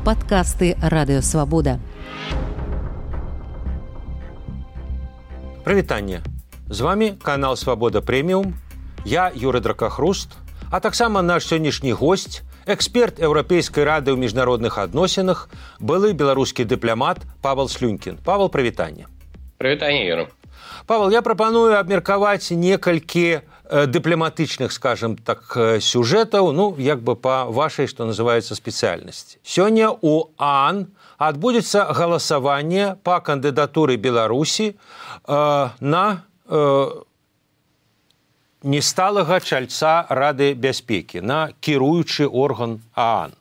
Падкасты Радыёвабода. Прывітанне. З вами канал Свабода Прэміум. Я Юрый Дракахруст, а таксама наш сённяшні госць, эксперт Еўрапейскай рады ў міжнародных адносінах, былы беларускі дыпламат Павел Слюнькін. Павел, прывітанне. Прывітанне, Юра. Павел, я прапаную абмеркаваць некалькі дыпламатычных, скажем так, сюжэтаў, як бы па вашай, што называецца, спецыяльнасці. Сёння у ААН адбудзецца галасаванне па кандыдатуры Беларусі на несталага чальца Рады бяспекі, на кіруючы орган ААН.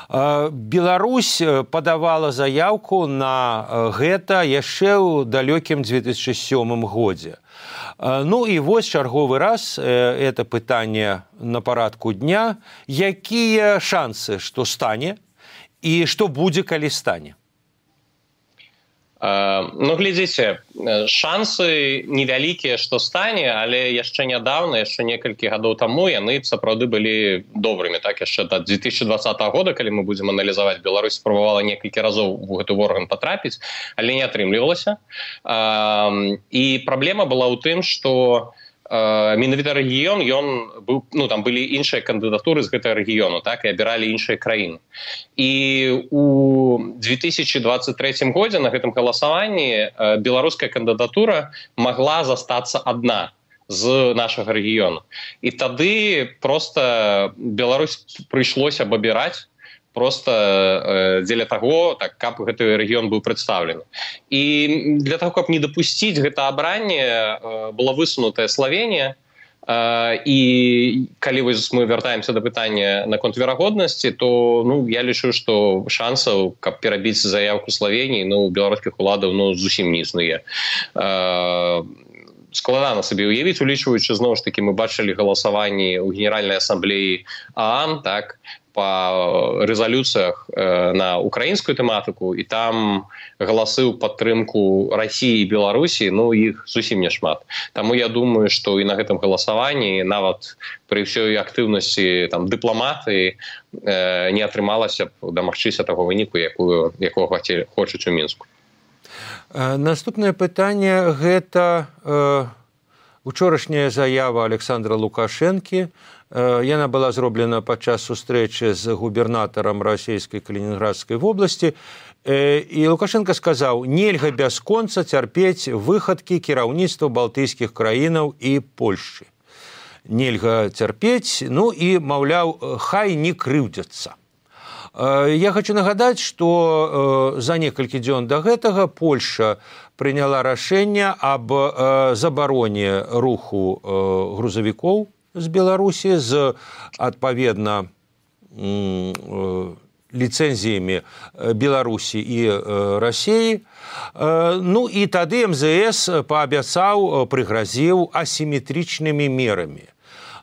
Беларусь падавала заяўку на гэта яшчэ ў далёкім 2007 годзе. І вось чарговы раз это пытанне на парадку дня. Якія шансы, што стане і што будзе, калі стане? Глядзіце, шансы невялікія, што стане, але яшчэ нядаўна, яшчэ некалькі гадоў таму яны сапраўды былі добрымі. Так, яшчэ да 2020 года, калі мы будзем аналізаваць, Беларусь спрабавала некалькі разоў у гэты орган патрапіць, але не атрымлівалася. І праблема была ў тым, што менавіта рэгіён, ён быў, там былі іншыя кандыдатуры з гэтага рэгіёну, так, і абіралі іншыя краіны. І у 2023 годзе на гэтым галасаванні беларуская кандыдатура магла застацца адна з нашага рэгіёну. І тады проста Беларусь прыйшлося б абіраць просто дзеля таго, так, каб гэты рэгіён быў прадстаўлены. І для таго, каб не дапусціць гэта абранне, была высунутая Славенія. І калі мы вяртаемся да пытання наконт верагоднасці, то я лічу, што шансаў, каб перабіць заявку Славеніі, у беларускіх уладаў зусім не існуе. Складана сабе уявіць, улічваючы, зноў ж такі, мы бачылі галасаванні ў Генеральнай асамблеі ААН, так, па рэзалюцыях на украінскую тэматыку, і там галасы ў падтрымку Расіі і Беларусі, іх зусім няшмат. Таму я думаю, што і на гэтым галасаванні, нават пры ўсёй актыўнасці дыпламатыі, не атрымалася б дамагчыся таго выніку, якога хочуць у Мінску. Наступнае пытанне – гэта учорашняя заява Александра Лукашэнкі. Яна была зроблена падчас сустрэчы з губернатарам расійскай Калінінградскай вобласці. І Лукашенко сказаў, нельга бясконца цярпець выхадкі кіраўніцтва балтыйскіх краінаў і Польшчы. Нельга цярпець, і, маўляў, хай не крыўдзяцца. Я хочу нагадаць, што за некалькі дзён да гэтага Польша прыняла рашэнне аб забароне руху грузавікоў з Беларусі з, адпаведна, ліцэнзіямі Беларусі і Расіі. І тады МЗС паабяцаў, прыгразіў асіметрычнымі мерамі.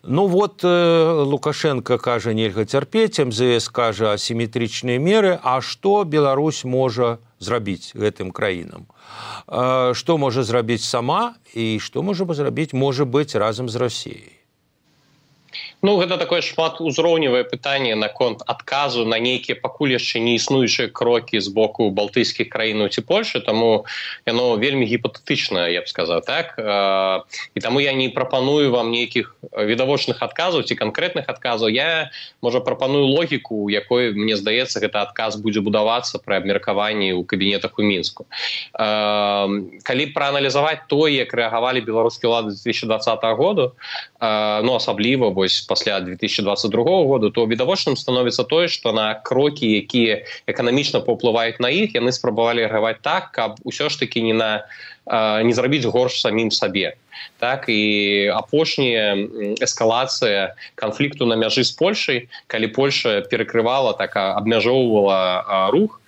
Лукашенко кажа, нельга цярпець, МЗС кажа асіметрычныя меры, а што Беларусь можа зрабіць гэтым краінам? Што можа зрабіць сама і што можа зрабіць, можа быць, разам з Расіяй? Гэта такое шматузроўневае пытанне наконт адказу на нейкія пакуль яшчэ не існуючыя крокі з боку балтыйскіх краінаў ці Польшы, таму яно вельмі гіпатэтычнае, я б сказаў, так? І таму я не прапаную вам нейкіх відавочных адказаў ці канкрэтных адказаў. Я, можа, прапаную логіку, у якой, мне здаецца, гэты адказ будзе будавацца пры абмеркаванні ў кабінетах у Мінску. Калі прааналізаваць тое, як рэагавалі беларускія ўлады 2020 году, асабліва пасля 2022 году, то відавочным становіцца тое, што на крокі, якія эканамічна паўплываюць на іх, яны спрабавалі рэагаваць так, каб усё ж такі не зрабіць горш самім сабе. Так, і апошняя эскалацыя канфлікту на мяжы з Польшай, калі Польша перакрывала, так, абмяжоўвала рух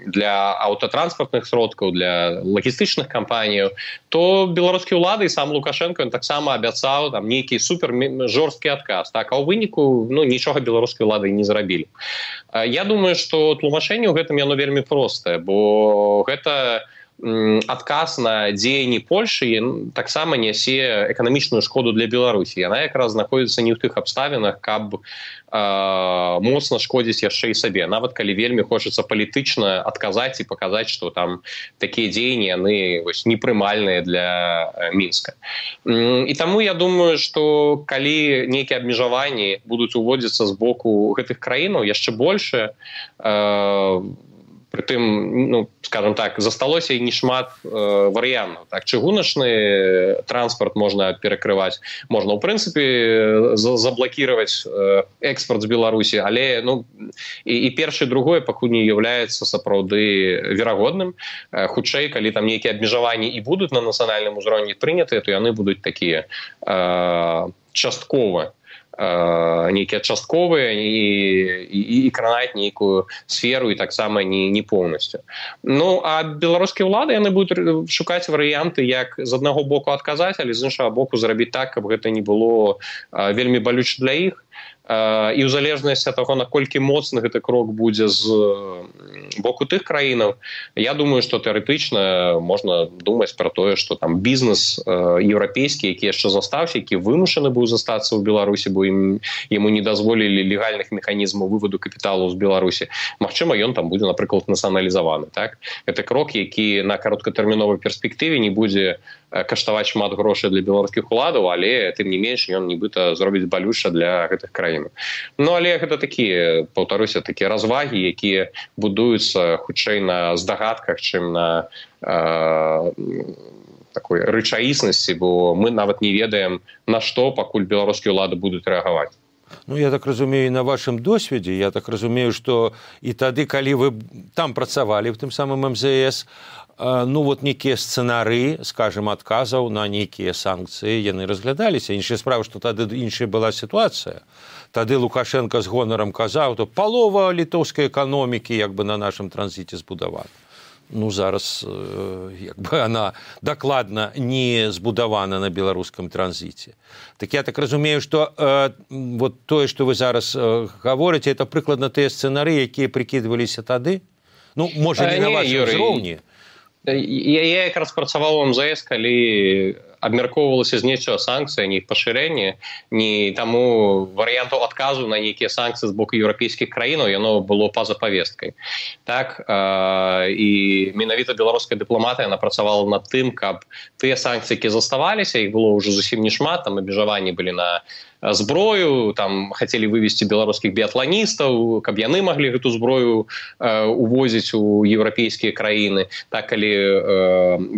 для аўтатранспартных сродкаў, для лагістычных кампаніяў, то беларускія ўлады і сам Лукашенко таксама абяцаў нейкі супер жорсткі адказ. Так, а ў выніку нічога беларускія ўлады не зрабілі. Я думаю, што тлумачэнне ў гэтым яно вельмі простае, бо гэта адказ на дзеянні Польшы таксама нясе эканамічную шкоду для Беларусі. Яна якраз знаходзіцца не ў тых абставінах, каб моцна шкодзіць яшчэ і сабе, нават калі вельмі хочацца палітычна адказаць і паказаць, што там такія дзеянні яны непрымальныя для Мінска. І таму я думаю, што калі нейкія абмежаванні будуць уводзіцца з боку гэтых краінаў яшчэ большыя, притым, скажем так, засталося і нешмат варыянтаў. Так, чыгуначны транспорт можна перакрываць, можна, ў прынцыпе, заблакіраваць экспорт з Беларусі, але і першае, другое пакуль не з'яўляецца сапраўды верагодным. Хутчэй, калі там нейкія абмежаванні і будуць на нацыянальным узроўні прынятыя, то яны будуць такія частковыя, нейкія частковыя і кранаць нейкую сферу і таксама не поўнасцю. А беларускія ўлады яны будуць шукаць варыянты, як з аднаго боку адказаць, але з іншага боку зрабіць так, каб гэта не было вельмі балюча для іх. І ў залежнасці ад таго, наколькі моцны гэты крок будзе з боку тых краінаў, я думаю, што тэарэтычна можна думаць пра тое, што там бізнес еўрапейскі, які яшчэ застаўся, які вымушаны быў застацца ў Беларусі, бо яму не дазволілі легальных механізмаў вываду капіталу з Беларусі, магчыма, ён там будзе, напрыклад, нацыяналізаваны. Так? Гэта крок, які на кароткатэрміновай перспектыве не будзе каштаваць шмат грошай для беларускіх уладаў, але тым не менш ён нібыта зробіць балюча для гэтых краін. Але гэта такія, паўтаруся, такія развагі, якія будуюцца хутчэй на здагадках, чым на такой рэчаіснасці, бо мы нават не ведаем, на што пакуль беларускія ўлады будуць рэагаваць. Я так разумею, на вашым досведзе, я так разумею, што і тады, калі вы там працавалі в тым самым МЗС, некія сцэнары, скажем, адказаў на нейкія санкцыі, яны разглядаліся. Іншая справа, што тады іншая была сітуацыя. Тады Лукашенко з гонарам казаў, то палова літоўскай эканомікі на нашым транзіце збудавана. Зараз она дакладна не збудавана на беларускам транзіце. Так я так разумею, што тое, што вы зараз гаворыце, это прыкладна тыя сцэнары, якія прыкідваліся тады? Можа, не на вашым узроўні. Я якраз працаваў у МЗС, калі абмяркоўвалася зняццё санкцый, а не іх пашырэнне, не таму варыянтаў адказу на нейкія санкцыі з боку еўрапейскіх краінаў яно было па-за павесткай. Так, і менавіта беларуская дыпламатыя яна працавала над тым, каб тыя санкцыі, якія заставаліся, іх было ўжо зусім не шмат, там абмежаванні былі на зброю, там хацелі вывесці беларускіх біятланістаў, каб яны маглі гэту зброю увозіць у еўрапейскія краіны. Так, калі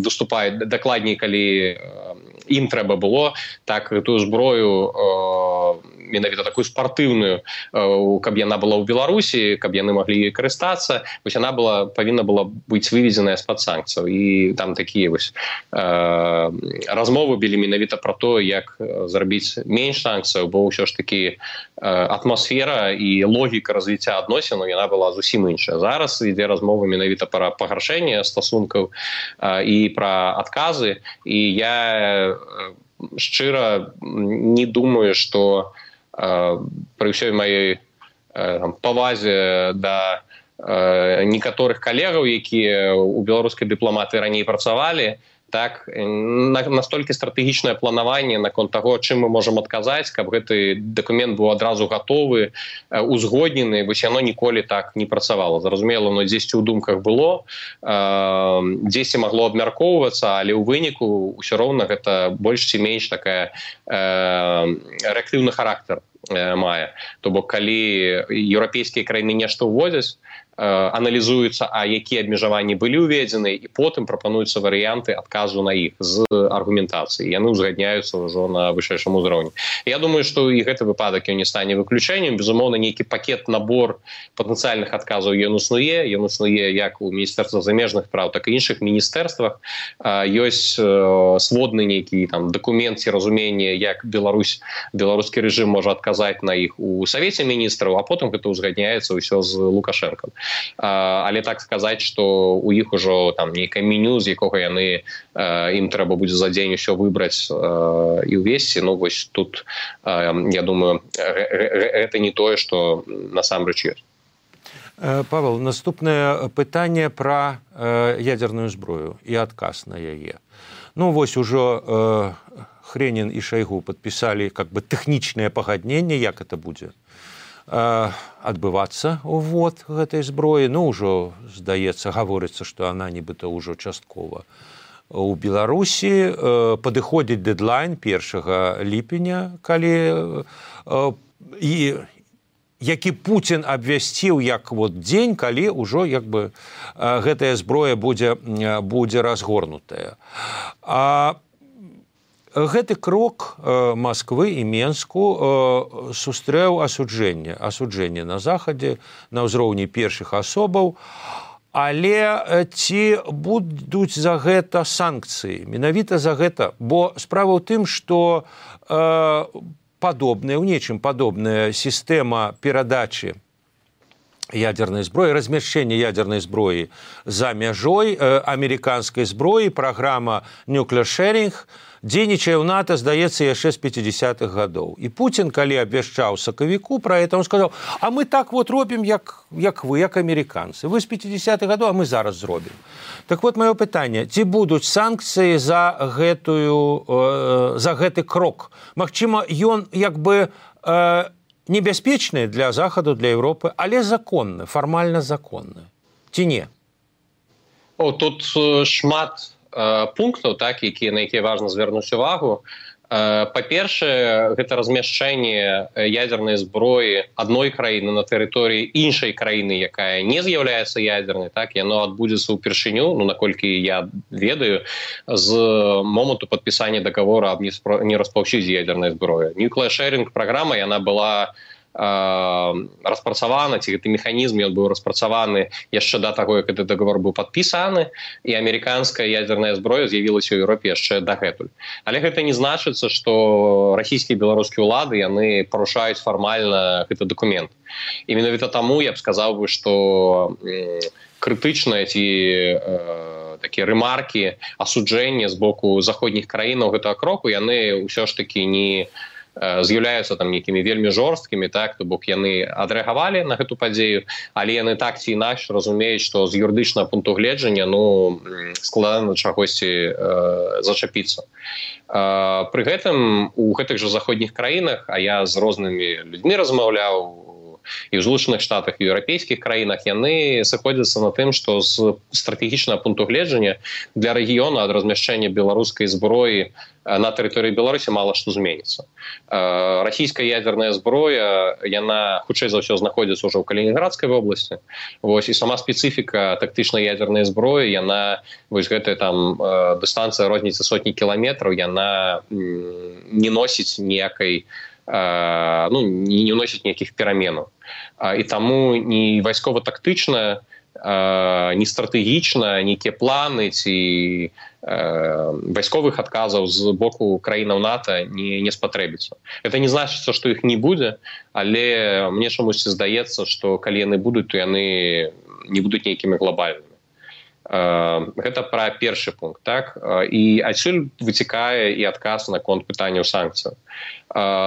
выступаюць, дакладней, калі ім трэба было, так гэтую зброю менавіта такую спартыўную, каб яна была ў Беларусі, каб яны маглі карыстацца, яна павінна была быць выведзеная з-пад санкцыяў. І там такія размовы былі менавіта пра то, як зрабіць менш санкцыяў, бо ўсё ж такі атмасфера і логіка развіцця адносінаў яна была зусім іншая. Зараз ідзе размова менавіта пра пагаршэнне стасункаў і пра адказы. І я шчыра не думаю, што пры ўсёй маёй павазе да некаторых калегаў, якія ў беларускай дыпламатыі раней працавалі, так, настолькі стратэгічнае планаванне наконт таго, чым мы можам адказаць, каб гэты дакумент быў адразу гатовы, узгоднены, яно ніколі так не працавала. Зразумела, дзесьці ў думках было, дзесьці магло абмяркоўвацца, але ў выніку ўсё роўна гэта больш ці менш такая рэактыўны характар мае. То бок, калі еўрапейскія краіны нешта ўводзяць, аналізуюцца, а якія абмежаванні былі ўведзены, і потым прапануюцца варыянты адказу на іх з аргументацыяй. Яны ўзгадняюцца ўжо на вышэйшым узроўні. Я думаю, што і гэты выпадак не стане выключэннем. Безумоўна, нейкі пакет, набор патэнцыяльных адказаў ён існуе. Ён існуе як у Міністэрства замежных спраў, так і іншых міністэрствах. Ёсць сводны нейкі дакумент ці разуменне, як беларускі рэжым можа адказаць на іх у Савеце міністраў, а потым гэта ўзгадняецца ўсё з Лукашэнкам. Але так сказаць, што у іх ужо нейкае меню, з якога яны ім трэба будзе за дзень усё выбраць і ўвесці, тут, я думаю, гэта не тое, што насамрэч ёсць. Павел, наступнае пытанне пра ядзерную зброю і адказ на яе. Ужо Хренін і Шайгу падпісалі тэхнічнае пагадненне, як это будзе адбывацца ўвод гэтай зброі. Ну, ўжо, здаецца, гаворыцца, што она нібыта ўжо часткова у Беларусі. Падыходзіць дэдлайн 1 ліпеня, калі які Пуцін абвясціў як дзень, калі ўжо гэтая зброя будзе разгорнутая. Гэты крок Масквы і Менску сустрэў асуджэнне на Захадзе на ўзроўні першых асобаў, але ці будуць за гэта санкцыі? Менавіта за гэта, бо справа ў тым, што у нечым падобная сістэма перадачы ядерной зброі, размяшчэння ядерной зброі за мяжой амерыканскай зброі, праграма Nuclear Sharing, дзейнічае ў НАТО, здаецца, яшчэ з 50-х гадоў. І Пуцін, калі абвяшчаў сакавіку пра гэта, он сказаў: а мы так робім, як вы, як амерыканцы. Вы з 50-х гадоў, а мы зараз зробім. Так вот, маё пытанне: ці будуць санкцыі за гэты крок? Магчыма, ён небяспечны для Захаду, для Еўропы, але законны, фармальна законны. Ці не? Тут шмат пунктаў, на якія важна звярнуць увагу. Па-першае, гэта размяшчэнне ядернай зброі адной краіны на тэрыторыі іншай краіны, якая не з'яўляецца ядернай, яно адбудзецца ўпершыню, наколькі я ведаю, з моманту падпісання даговора аб нераспаўсюддзі ядернай зброі. Nuclear Sharing праграма, яна была распрацаваны, ці гэты механізм ён быў распрацаваны яшчэ да таго, як гэты даговор быў падпісаны, і амерыканская ядерная зброя з'явілася ў Еўропе яшчэ дагэтуль. Але гэта не значыцца, што расійскія і беларускія ўлады яны парушаюць фармальна гэты дакумент. І менавіта таму я б сказаў бы, што крытычныя ці такія рэмаркі, асуджэння з боку заходніх краінаў гэтага кроку, яны ўсё ж такі не з'яўляюцца нейкімі вельмі жорсткімі, то бок яны адрэагавалі на гэту падзею, але яны так ці інакш разумеюць, што з юрыдычнага пункту гледжання складана чагосьці зачапіцца. Пры гэтым у гэтых жа заходніх краінах, а я з рознымі людзьмі размаўляў, і ў Злучаных Штатах, і ў еўрапейскіх краінах, яны сыходзяцца на тым, што з стратэгічнага пункту гледжання для рэгіёна ад размяшчэння беларускай зброі на тэрыторыі Беларусі мала што зменіцца. Расійская ядерная зброя, яна хутчэй за ўсё знаходзіцца ўжо ў Калінінградскай вобласці. І сама спецыфіка тактычнай ядернай зброі, яна, гэтая дыстанцыя розніцы сотні кіламетраў, яна не носіць ніякай не ўносіць ніякіх пераменаў. І таму ні вайскова-тактычна, ні стратэгічна, нейкія планы ці вайсковых адказаў з боку краінаў НАТО не спатрэбіцца. Гэта не значыцца, што іх не будзе, але мне чамусьці здаецца, што калі яны будуць, то яны не будуць нейкімі глобальнымі. Гэта пра першы пункт, і адсюль выцікае і адказ наконт пытанняў санкцыяў.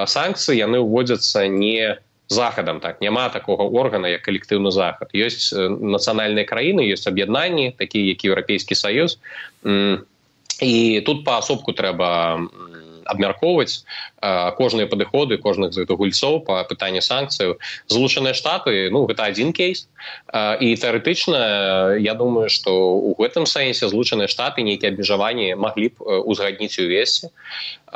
Санкцыі яны ўводзяцца не захадам, няма такога органа, як калектыўны захад. Ёсць нацыянальныя краіны, ёсць аб'яднанні, такія як Еўрапейскі Саюз, і тут паасобку трэба абмяркоўваць кожныя падыходы кожных з гэтых гульцоў па пытанні санкцыяў. Злучаныя Штаты, гэта адзін кейс, і тэарэтычна я думаю, што ў гэтым сэнсе Злучаныя Штаты нейкія абмежаванні маглі б узгадніць і ўвесці.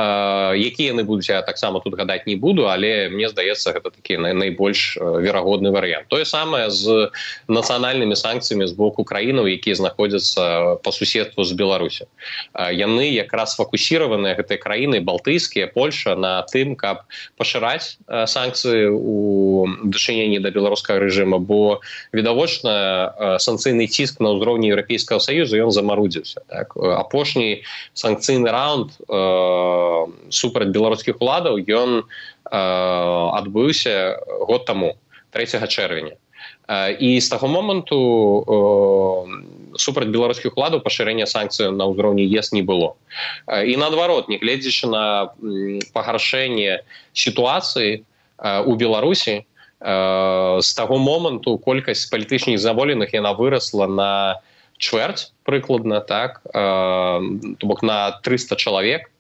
Якія яны будуць, я таксама тут гадаць не буду, але мне здаецца, гэта такі найбольш верагодны варыянт. Тое самае з нацыянальнымі санкцыямі з боку краінаў, якія знаходзяцца па суседству з Беларусі. Яны якраз фокусіраваныя, гэтыя краіны балтыйскія, Польша, на тым, каб пашыраць санкцыі ў дачыненні да беларускага рэжыма, бо відавочна санкцыйны ціск на ўзроўні Еўрапейскага Саюза ён замарудзіўся. Апошні санкцыйны раунд супраць беларускіх уладаў ён адбыўся год таму, 3 чэрвеня. І з таго моманту супраць беларускіх уладаў пашырэння санкцыяў на ўзроўні ЕС не было. І наадварот, нягледзячы на пагаршэнне сітуацыі у Беларусі, з таго моманту колькасць палітычных зняволеных яна вырасла на чвэрць прыкладна, то бок на 300 чалавек.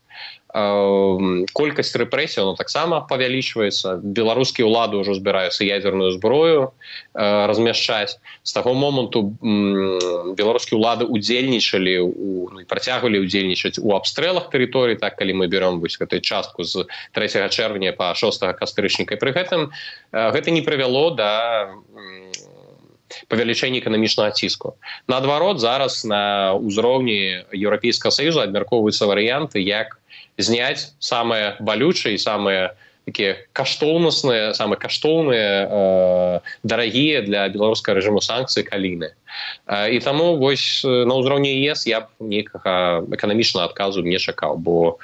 колькасць рэпрэсій таксама павялічваецца. Беларускія ўлады ўжо збіраюцца ядзерную зброю размяшчаць. З таго моманту беларускія ўлады удзельнічалі і працягвалі удзельнічаць у абстрэлах тэрыторый, так, калі мы берем гэтую частку з 3 чэрвеня па 6 кастрычніка. Пры гэтым гэта не прывяло да павелічэння эканамічнага ціску. Наадварот, зараз на ўзроўні Еўрапейскага Саюза абмяркоўваюцца варыянты, як зняць самыя балючыя і самыя такія каштоўнасныя, самыя каштоўныя, дарагія для беларускага рэжыму санкцыі каліны. І таму вось на ўзроўні ЕС я б нейкага эканамічнага адказу не чакаў, бо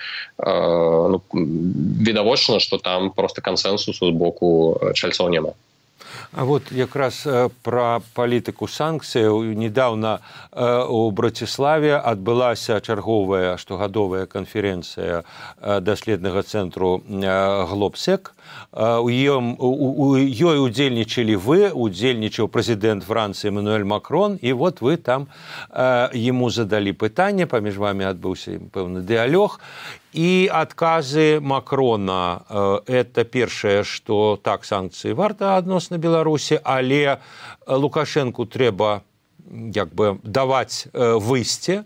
відавочна, што там проста кансэнсусу з боку чальцоў няма. А вот якраз пра палітыку санкцыяў. Недаўна у Браціславе адбылася чарговая штогадовая канферэнцыя даследнага цэнтру Глобсек. У ёй удзельнічалі вы, удзельнічаў прэзідэнт Францыі Эммануэль Макрон, і вот вы там яму задалі пытанне, паміж вамі адбыўся пэўны дыялог. І адказы Макрона – это першае, што так, санкцыі варта адносна Беларусі, але Лукашэнку трэба даваць выйсце,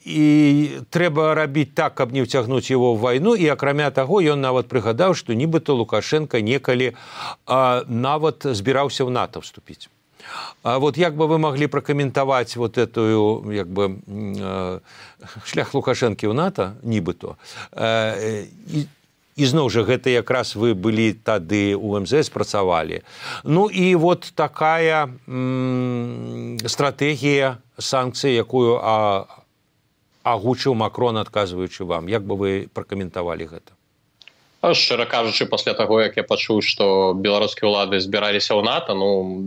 і трэба рабіць так, каб не ўцягнуць яго ў вайну. І акрамя таго, ён нават прыгадаў, што нібыта Лукашенко некалі нават збіраўся ў НАТО вступіць. Вот як бы вы могли прокомментовать вот эту шлях Лукашэнкі ў НАТО, нібыто? І зноў жа, гэта якраз вы былі тады у МЗС, працавалі. Ну і вот такая стратэгія санкцый, якую агучыў Макрон, адказваючы вам. Як бы вы пракаментавалі гэта? Шчыра кажучы, пасля таго, як я пачуў, што беларускія ўлады збіраліся ў НАТО,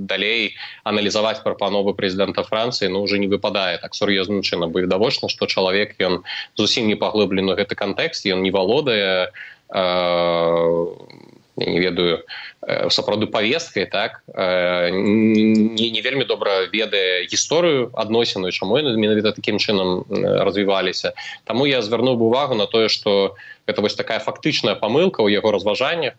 далей аналізаваць прапановы прэзідэнта Францыі уже не выпадае так сур'ёзным чынам, бо відавочна, што чалавек, ён зусім не паглыблены ў гэты кантэкст, ён не валодае, я не ведаю, сапраўды павесткай, так, не вельмі добра ведае гісторыю адносіну, чаму яны менавіта такім чынам развіваліся. Таму я звярнуў увагу на тое, што гэта вось такая фактычная памылка ў яго разважаннях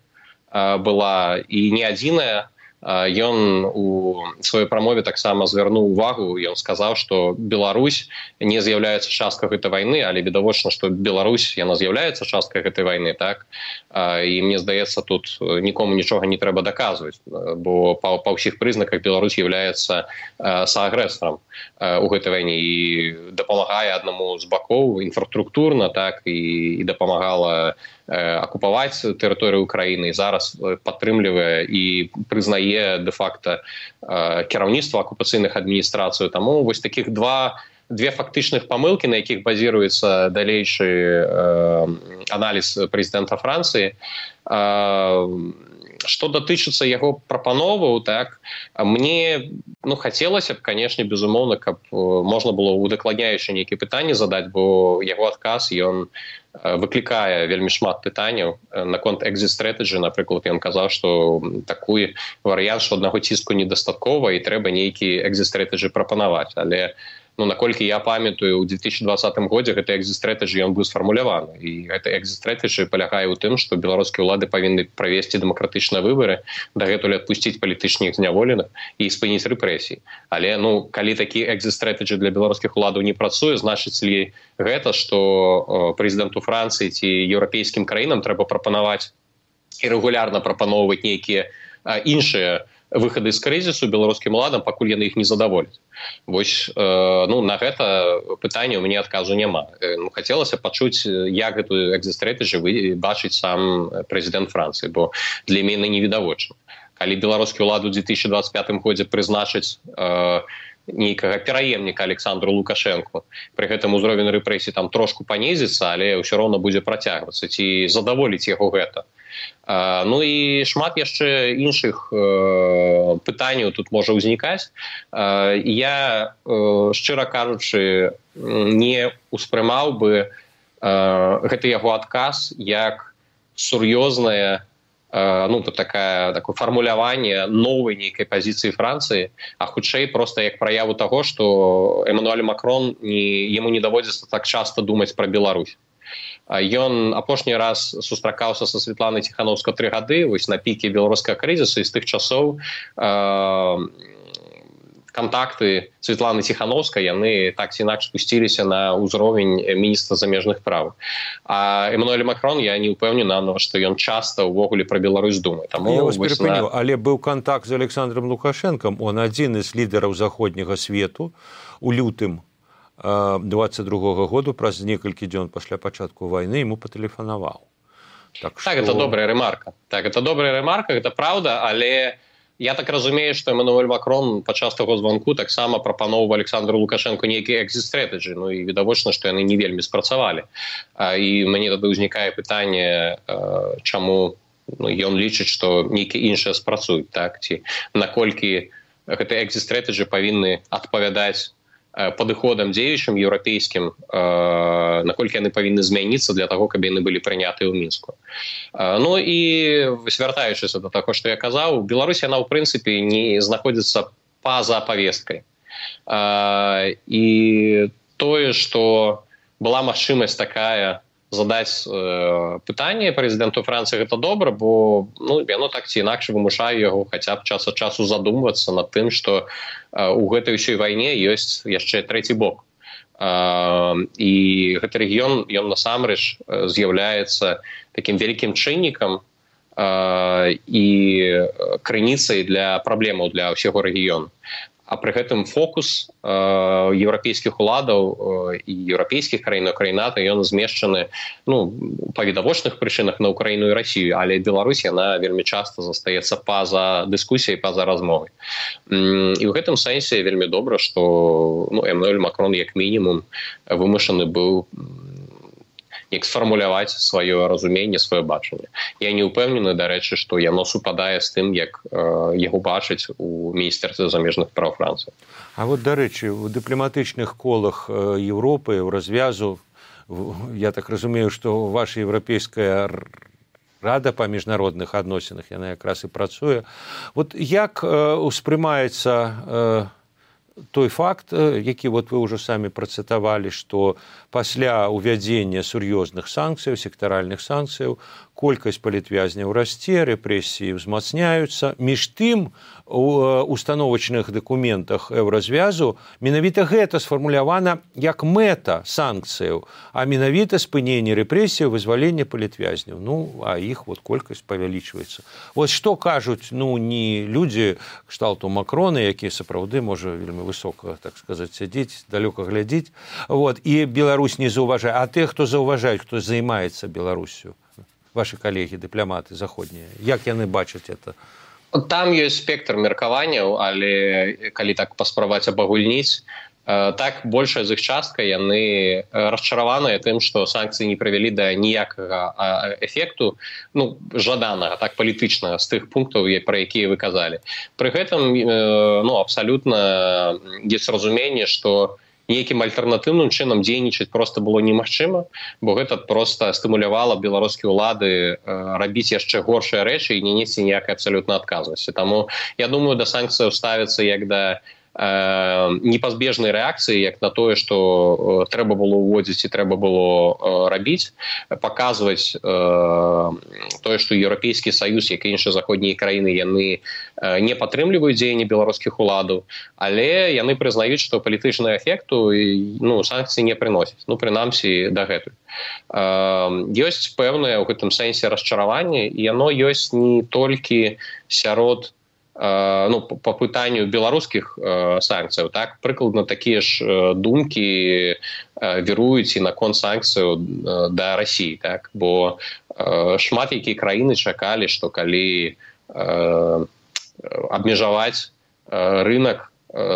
была, і не адзіная. Ён у сваёй прамове таксама звярнуў увагу, ён сказаў, што Беларусь не з'яўляецца часткай гэтай вайны, але відавочна, што Беларусь, яна з'яўляецца часткай гэтай вайны, так? І мне здаецца, тут нікому нічога не трэба даказваць, бо па ўсіх прызнаках Беларусь з'яўляецца саагрэсарам у гэтай вайне і дапамагае аднаму з бакоў інфраструктурна, так, і дапамагала акупаваць тэрыторыю Украіны, і зараз падтрымлівае і прызнае дэ-факта кіраўніцтва акупацыйных адміністрацый. Таму вось такіх две фактычных памылкі, на якіх базіруецца далейшы аналіз прэзідэнта Францыі. Што датычыцца яго прапановаў, так, мне хацелася б, канешне, безумоўна, каб можна было удакладняючы нейкія пытанні задаць, бо яго адказ, ён выклікае вельмі шмат пытанняў наконт экзіт-стрэтэджы. Напрыклад, ён казаў, што такі варыянт, што аднаго ціску недастаткова і трэба нейкі экзіт-стрэтэджы прапанаваць. Але наколькі я памятаю, у 2020 годзе гэты экзіт-стрэтэджы ён быў сфармуляваны. І гэты экзіт-стрэтэджы палягае ў тым, што беларускія ўлады павінны правесці дэмакратычныя выбары, дагэтуль адпусціць палітычных зняволеных і спыніць рэпрэсіі. Але калі такі экзіт-стрэтэджы для беларускіх уладаў не працуе, значыць ли гэта, што прэзідэнту Францыі ці еўрапейскім краінам трэба прапанаваць і рэгулярна прапаноўваць нейкія іншыя выхады з крызісу беларускім уладам, пакуль яны іх не задаволяць. Вось на гэта пытанне ў мяне адказу няма. Хацелася пачуць, як гэту экзіт-стрэтэджы бачыць сам прэзідэнт Францыі, бо для мяне невідавочна. Калі беларускія ўлады ў 2025 годзе прызначаць нейкага пераемніка Александру Лукашэнку, пры гэтым узровень рэпрэсій там трошку панізіцца, але ўсё роўна будзе працягвацца, ці задаволіць яго гэта. І шмат яшчэ іншых пытанняў тут можа ўзнікаць. Я, шчыра кажучы, не ўспрымаў бы гэты яго адказ як сур'ёзнае такое фармуляванне новай нейкай пазіцыі Францыі, а хутчэй проста як праяву таго, што Эммануэль Макрон яму не даводзіцца так часта думаць пра Беларусь. Ён апошні раз сустракаўся са Святланай Ціхановскай 3 гады, вось на піке беларускага крызісу, і з тых часоў контакты Святланы Ціхановскай, яны так ці інакш спусціліся на ўзровень міністра замежных спраў. А Эммануэль Макрон, я не ўпэўнена, што ён часта ўвогуле пра Беларусь думае. Таму я вас перапыню, але быў контакт з Александром Лукашенком, он адзін з лідараў заходняга свету у лютым 22-го году, праз некалькі дзён пасля пачатку вайны, яму патэлефанаваў. Так, это добрая ремарка. Так, это добрая ремарка, это правда, але я так разумею, што Эммануэль Макрон падчас таго званку таксама прапаноўваў Александру Лукашенку нейкія экзіт-стрэтэджы, ну і відавочна, што яны не вельмі спрацавалі. І мяне тады ўзнікае пытанне, чаму ён лічыць, што нейкія іншыя спрацуюць, так? Ці наколькі гэтыя экзіт-стрэтэджы павінны адпавядаць падыходам дзеючым еўрапейскім, наколькі яны павінны змяніцца для таго, каб яны былі прынятыя ў Мінску. Ну і звяртаючыся да таго, што я казаў, Беларусь, яна ў прынцыпе не знаходзіцца па-за павесткай. І тое, што была магчымасць такая задаць пытанне прэзідэнту Францыі, гэта добра, бо яно так ці інакш вымушае яго хаця б час ад часу задумвацца над тым, што у гэтай усёй вайне ёсць яшчэ трэці бок. І гэты рэгіён, ён насамрэч з'яўляецца такім вялікім чыннікам і крыніцай для праблемаў для ўсяго рэгіёну. А пры гэтым фокус еўрапейскіх уладаў і еўрапейскіх краін, краінат, ён змешчаны па відавочных прычынах на Украіну і Расію, але Беларусь, яна вельмі часта застаецца па-за дыскусіяй, па-за размовай. І ў гэтым сэнсе вельмі добра, што Эммануэль Макрон як мінімум вымушаны быў як сфармуляваць сваё разуменне, сваё бачанне. Я не ўпэўнены, дарэчы, што яно супадае з тым, як яго бачыць у міністэрстве замежных спраў Францыі. А вот, дарэчы, у дыпламатычных колах Еўропы, у развязу, я так разумею, што ваша еўрапейская рада па міжнародных адносінах, яна якраз і працуе. Вот як успрымаецца той факт, які вот вы ўжо самі працытавалі, што пасля ўвядзення сур'ёзных санкцыяў, сектаральных санкцыяў, колькасць палітвязняў расце, рэпрэсіі ўзмацняюцца. Між тым, у установачных дакументах еўразвязу менавіта гэта сфармулявана як мэта санкцыяў, а менавіта спыненне рэпрэсіяў, вызваленне палітвязняў. А іх вот колькасць павялічваецца. Вот што кажуць, не людзі кшталту Макрона, якія сапраўды можа вельмі высока, так сказаць, сядзець, далёка глядзіць, і Беларусь не заўважае, а тых, хто заўважаюць, хто займаецца Беларусю, ваши калегі, дыпламаты заходнія, як яны бачаць это? Там ёсць спектр меркаванняў, але калі так паспрабаваць абагульніць, так большая з іх частка яны расчараваныя тым, што санкцыі не прывялі да ніякага эфекту, жаданага, так палітычнага, з тых пунктаў, пра якія вы казалі. Пры гэтым абсалютна ёсць разуменне, што нейкім альтэрнатыўным чынам дзейнічаць проста было немагчыма, бо гэта проста стымулявала беларускія ўлады рабіць яшчэ горшыя рэчы і не несці ніякай абсалютна адказнасці. Таму, я думаю, да санкцыяў ставіцца як да непазбежнай рэакцыі, як на тое, што трэба было ўводзіць і трэба было рабіць, паказваць тое, што Еўрапейскі Саюз, як і іншыя заходнія краіны, яны не падтрымліваюць дзеянні беларускіх уладаў, але яны прызнаюць, што палітычнага эфекту санкцыі не прыносяць, прынамсі дагэтуль. Ёсць пэўнае ў гэтым сэнсе расчараванне, і яно ёсць не толькі сярод по пытанню беларускіх санкцыяў, так, прыкладна такія ж думкі віруюць і наконт санкцыяў да Расіі, так, бо шмат якія краіны чакалі, што калі абмежаваць рынок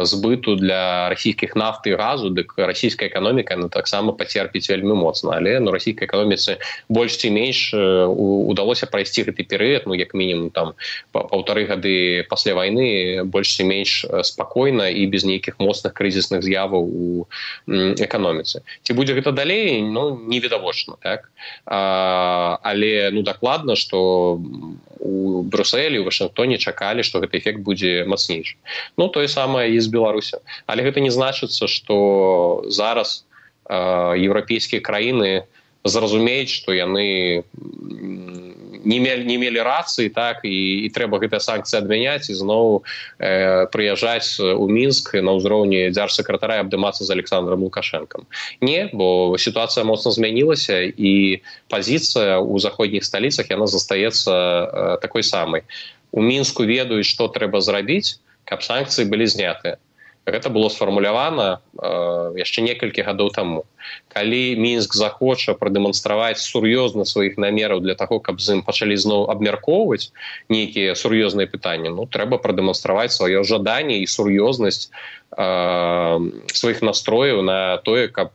збыту для расійскіх нафты і газу, дык расійская эканоміка таксама пацерпіць вельмі моцна, але расійскай эканоміцы больш ці менш удалося прайсці гэты перыяд, як мінімум там 1,5 гады пасля вайны больш ці менш спакойна і без нейкіх моцных крызісных з'яваў у эканоміцы. Ці будзе гэта далей, невідавочна, так? Але дакладна, што у Брюсселі, у Вашынгтоне чакалі, што гэты эфект будзе мацнейшы. Тое самае і з Беларусю. Але гэта не значыцца, што зараз еўрапейскія краіны зразумець, што яны не мелі рацыі, так, і трэба гэтыя санкцыі адмяняць і зноў прыязджаць у Мінск на ўзроўні дзяржсакратара і абдымацца з Александром Лукашэнкам. Не, бо сітуацыя моцна змянілася і пазіцыя ў заходніх сталіцах яна застаецца такой самай. У Мінску ведаюць, што трэба зрабіць, каб санкцыі былі знятыя. Гэта было сфармулявана яшчэ некалькі гадоў таму. Калі Мінск захоча прадэманстраваць сур'ёзна сваіх намераў для таго, каб з ім пачалі зноў абмяркоўваць нейкія сур'ёзныя пытанні, трэба прадэманстраваць сваё жаданне і сур'ёзнасць сваіх настрояў на тое, каб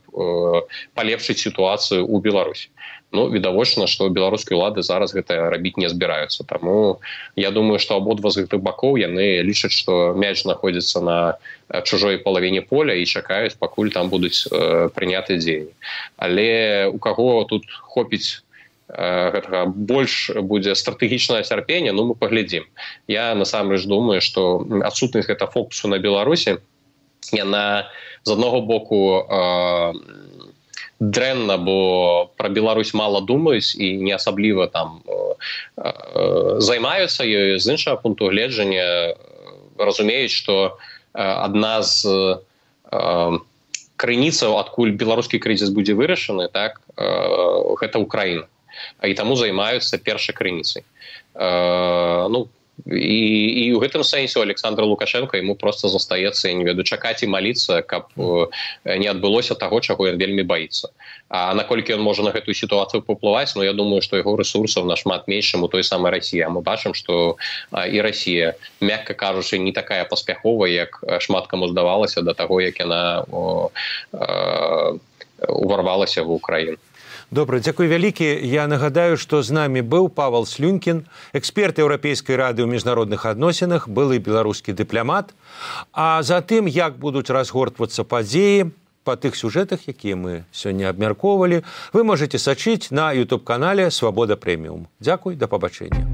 палепшыць сітуацыю ў Беларусі. Відавочна, што беларускія ўлады зараз гэта рабіць не збіраюцца. Таму я думаю, што абодва з гэтых бакоў яны лічаць, што мяч знаходзіцца на чужой палавіне поля і чакаюць, пакуль там будуць прыняты дзеянні. Але у каго тут хопіць гэтага больш будзе стратэгічнае цярпенне, мы паглядзім. Я насамрэч думаю, што адсутнасць гэта фокусу на Беларусі, яна з аднаго боку дрэнна, бо пра Беларусь мала думаюць і не асабліва там займаюцца ёю. З іншага пункту гледжання разумеюць, што адна з крыніцаў, адкуль беларускі крызіс будзе вырашаны, так, гэта Украіна. І таму займаюцца першай крыніцай. І ў гэтым сэнсе у Александра Лукашенка яму проста застаецца, я не ведаю, чакаць і маліцца, каб не адбылося таго, чаго ён вельмі баіцца. А наколькі ён можа на гэтую сітуацыю паўплываць, я думаю, што яго рэсурсаў нашмат менш, чым у той самай Расіі. А мы бачым, што і Расія, мякка кажучы, не такая паспяховая, як шмат каму здавалася да таго, як яна уварвалася в Украіну. Добра, дзякуй вялікі. Я нагадаю, што з намі быў Павал Слюнькін, эксперт Еўрапейскай рады ў міжнародных адносінах, былы беларускі дыпламат. А затым, як будуць разгортвацца падзеі па тых сюжэтах, якія мы сёння абмяркоўвалі, вы можаце сачыць на YouTube-канале «Свабода Прэміум». Дзякуй, да пабачэння.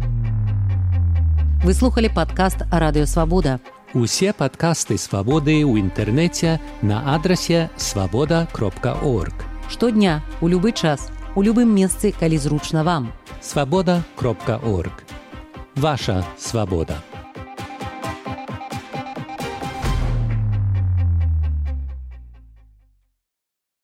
Вы слухали падкаст «Радыё Свабода». Усе падкасты «Свабоды» ў інтэрнэце на адрасе свабода.орг. Штодня, у любы час, у любым месцы, калі зручна вам. Свабода.орг. Ваша свабода.